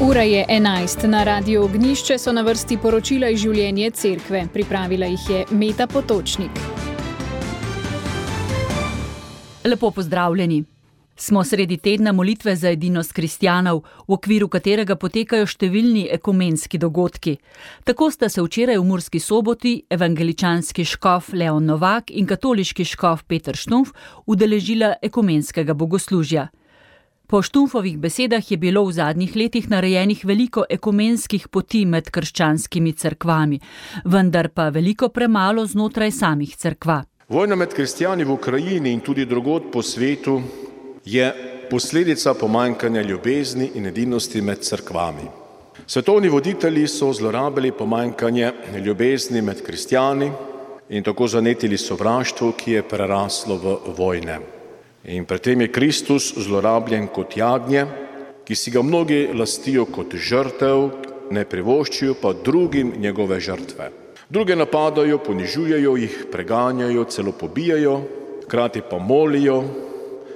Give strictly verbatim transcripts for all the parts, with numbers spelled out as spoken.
Ura je enajst. Na Radiu Ognjišče so na vrsti poročila iz življenja cerkve. Pripravila jih je Meta Potočnik. Lepo pozdravljeni. Smo sredi tedna molitve za edinost kristjanov, v okviru katerega potekajo številni ekumenski dogodki. Tako sta se včeraj v Murski Soboti evangeličanski škof Leon Novak in katoliški škof Peter Štumf udeležila ekumenskega bogoslužja. Po Štumfovih besedah je bilo v zadnjih letih narejenih veliko ekumenskih poti med krščanskimi cerkvami, vendar pa veliko premalo znotraj samih cerkva. Vojna med kristjani v Ukrajini in tudi drugod po svetu je posledica pomanjkanja ljubezni in edinosti med cerkvami. Svetovni voditelji so zlorabili pomanjkanje ljubezni med kristjani in tako zanetili sovraštvo, ki je preraslo v vojne. In pred tem je Kristus zlorabljen kot jagnje, ki si ga mnogi lastijo kot žrtev, ne privoščijo pa drugim njegove žrtve. Druge napadajo, ponižujejo jih, preganjajo, celo pobijajo, hkrati pa molijo,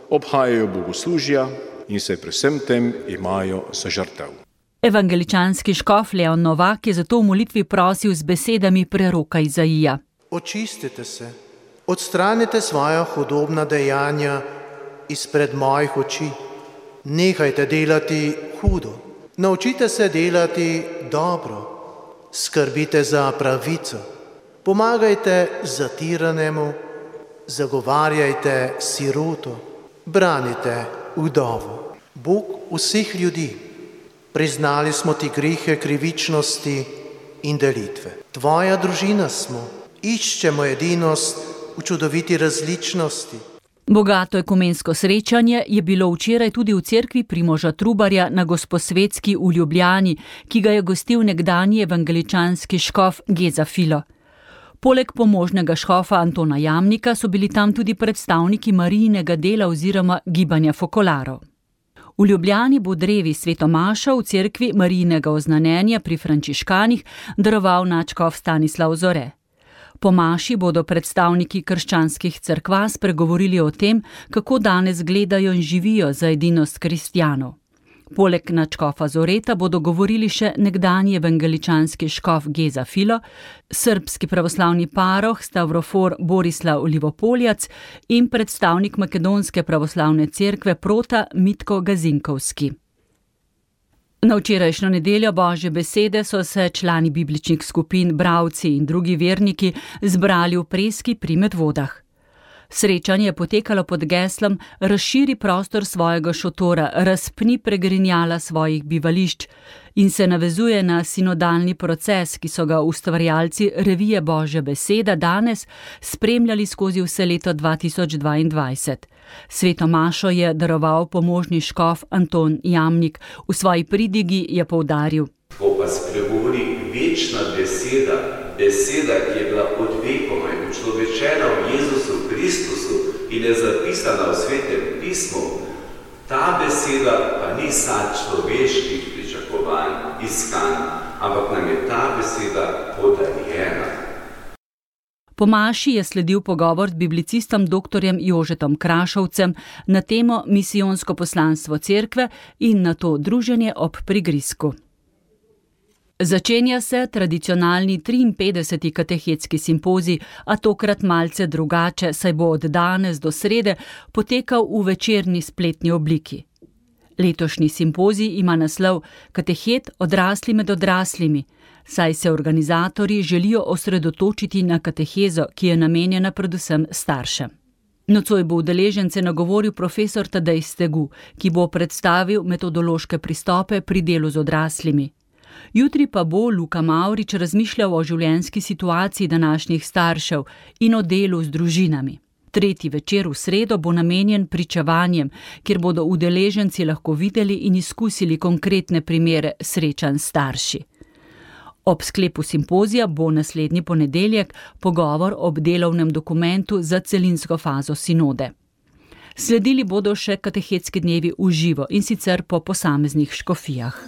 obhajajo bogoslužja in se pri vsem tem imajo za žrtev. Evangeličanski škof Leon Novak je zato v molitvi prosil z besedami preroka Izaija. Očistite se, odstranite svoja hudobna dejanja izpred mojih oči. Nehajte delati hudo, naučite se delati dobro, skrbite za pravico, pomagajte zatiranemu, zagovarjajte siroto, branite vdovo. Bog vseh ljudi, priznali smo ti grehe krivičnosti in delitve. Tvoja družina smo, iščemo edinost v čudoviti različnosti. Bogato ekumensko srečanje je bilo včeraj tudi v cerkvi Primoža Trubarja na Gosposvetski v Ljubljani, ki ga je gostil nekdanji evangeličanski škof Geza Filo. Poleg pomožnega škofa Antona Jamnika so bili tam tudi predstavniki Marijinega dela oziroma gibanja Fokolarov. V Ljubljani bo drevi svetomašo v cerkvi Marijinega oznanjenja pri frančiškanih daroval nadškof Stanislav Zore. Po maši bodo predstavniki krščanskih cerkva spregovorili o tem, kako danes gledajo in živijo za edinost kristjanov. Poleg nadškofa Zoreta bodo govorili še nekdanji evangeličanski škof Geza Filo, srbski pravoslavni paroh Stavrofor Borislav Livopoljac in predstavnik makedonske pravoslavne cerkve Prota Mitko Gazinkovski. Na včerajšnjo nedeljo Božje besede so se člani bibličnih skupin, bralci in drugi verniki zbrali v Preski pri Medvodah. Srečanje je potekalo pod geslom Razširi prostor svojega šotora, razpni pregrinjala svojih bivališč in se navezuje na sinodalni proces, ki so ga ustvarjalci revije Božja beseda danes spremljali skozi vse leto dva tisoč dvaindvajset. Sveto mašo je daroval pomožni škof Anton Jamnik. V svoji pridigi je poudaril: Ko pa spregovori večna beseda, beseda, ki je bila od vekoma in učlovečena v Jezusu Kristusu in je zapisana v Svetem pismu, ta beseda pa ni sad človeških pričakovanj, iskanj, ampak nam je ta beseda podarjena. Po maši je sledil pogovor z biblicistom doktorjem Jožetom Krašovcem na temo misijonsko poslanstvo cerkve in na to druženje ob prigrizku. Začenja se tradicionalni triinpetdeseti katehetski simpozij, a tokrat malce drugače, saj bo od danes do srede potekal v večerni spletni obliki. Letošnji simpozij ima naslov Katehet odrasli med odraslimi, saj se organizatorji želijo osredotočiti na katehezo, ki je namenjena predvsem staršem. Nocoj bo udeležence nagovoril profesor Tadej Stegu, ki bo predstavil metodološke pristope pri delu z odraslimi. Jutri pa bo Luka Mavrič razmišljal o življenjski situaciji današnjih staršev in o delu z družinami. Tretji večer v sredo bo namenjen pričevanjem, kjer bodo udeleženci lahko videli in izkusili konkretne primere srečanj s starši. Ob sklepu simpozija bo naslednji ponedeljek pogovor ob delovnem dokumentu za celinsko fazo sinode. Sledili bodo še katehetski dnevi v živo in sicer po posameznih škofijah.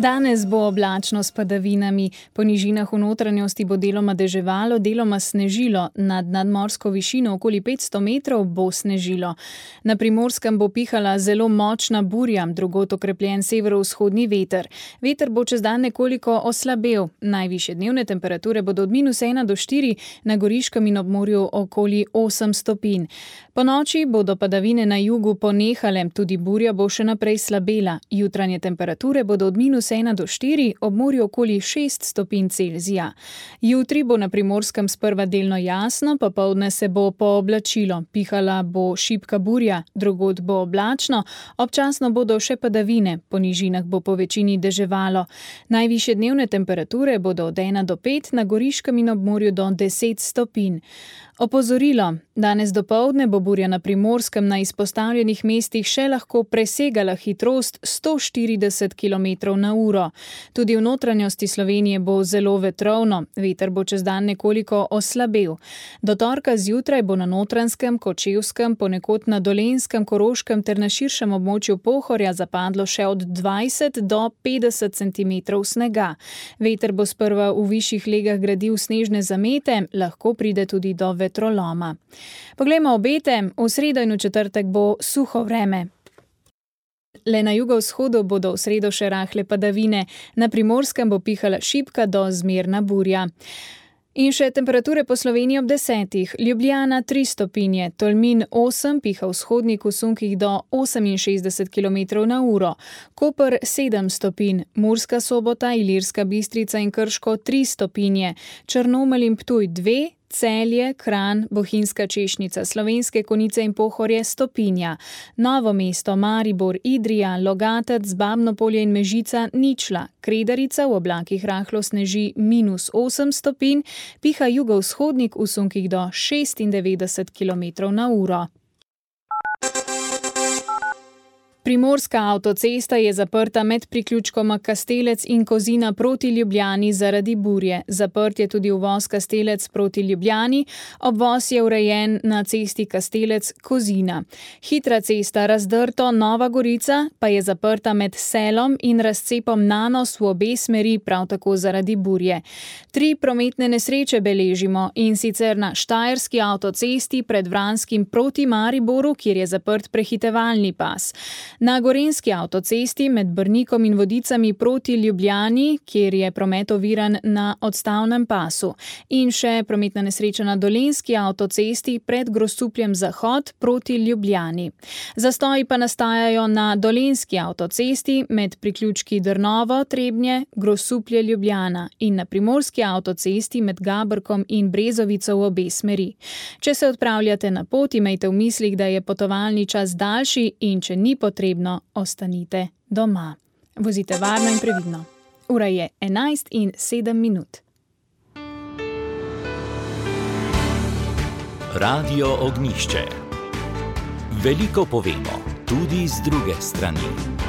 Danes bo oblačno s padavinami. Po nižinah v notranjosti bo deloma deževalo, deloma snežilo. Nad nadmorsko višino okoli petsto metrov bo snežilo. Na Primorskem bo pihala zelo močna burja, drugod okrepljen severovzhodni veter. Veter bo čez dan nekoliko oslabel. Najvišje dnevne temperature bodo od minus ena do štiri, na Goriškem in ob morju okoli osem stopinj. Po noči bodo padavine na jugu ponehale, tudi burja bo še naprej slabela. Jutranje temperature bodo od minus ena do štiri, ob morju okoli šest stopinj Celzija. Jutri bo na Primorskem sprva delno jasno, popoldne se bo pooblačilo. Pihala bo šibka burja, drugod bo oblačno, občasno bodo še padavine, po nižinah bo po večini deževalo. Najvišje dnevne temperature bodo od ena do pet, na Goriškem in ob morju do deset stopinj. Opozorilo. Danes dopoldne bo burja na Primorskem na izpostavljenih mestih še lahko presegala hitrost sto štirideset kilometrov na uro. Tudi v notranjosti Slovenije bo zelo vetrovno, veter bo čez dan nekoliko oslabel. Do torka zjutraj bo na Notranjskem, Kočevskem, ponekod na Dolenjskem, Koroškem ter na širšem območju Pohorja zapadlo še od dvajset do petdeset centimetrov snega. Veter bo sprva v višjih legah gradil snežne zamete, lahko pride tudi do vetroloma. Poglejmo obete, v sredo in v četrtek bo suho vreme. Le na jugovzhodu bodo v sredo še rahle padavine, na Primorskem bo pihala šibka do zmerna burja. In še temperature po Sloveniji ob desetih. Ljubljana tri stopinje, Tolmin osem, piha vzhodnik v sunkih do oseminšestdeset kilometrov na uro. Koper sedem stopinj, Murska Sobota, Ilirska Bistrica in Krško tri stopinje, Črnomelj in Ptuj dve, Celje, Kranj, Bohinjska Češnica, Slovenske Konjice in Pohorje stopinja. Novo mesto, Maribor, Idrija, Logatec, Babno Polje in Mežica ničla. Kredarica v oblakih rahlo sneži minus osem stopinj, piha jugovzhodnik v sunkih do šestindevetdeset kilometrov na uro. Primorska avtocesta je zaprta med priključkoma Kastelec in Kozina proti Ljubljani zaradi burje. Zaprt je tudi uvoz Kastelec proti Ljubljani, obvoz je urejen na cesti Kastelec-Kozina. Hitra cesta Razdrto Nova Gorica pa je zaprta med Selom in razcepom Nanos v obe smeri, prav tako zaradi burje. Tri prometne nesreče beležimo, in sicer na Štajerski avtocesti pred Vranskim proti Mariboru, kjer je zaprt prehitevalni pas. Na Gorenjski avtocesti med Brnikom in Vodicami proti Ljubljani, kjer je promet oviran na odstavnem pasu. In še prometna nesreča na Dolenjski avtocesti pred Grosupljem Zahod proti Ljubljani. Zastoji pa nastajajo na Dolenjski avtocesti med priključki Drnovo, Trebnje, Grosuplje, Ljubljana in na Primorski avtocesti med Gabrkom in Brezovico v obe smeri. Če se odpravljate na pot, imejte v mislih, da je potovalni čas daljši, in če ni potrebno, ostanite doma. Vozite varno in previdno. Ura je enajst in sedem minut. Radio Ognjišče. Veliko povemo, tudi z druge strani.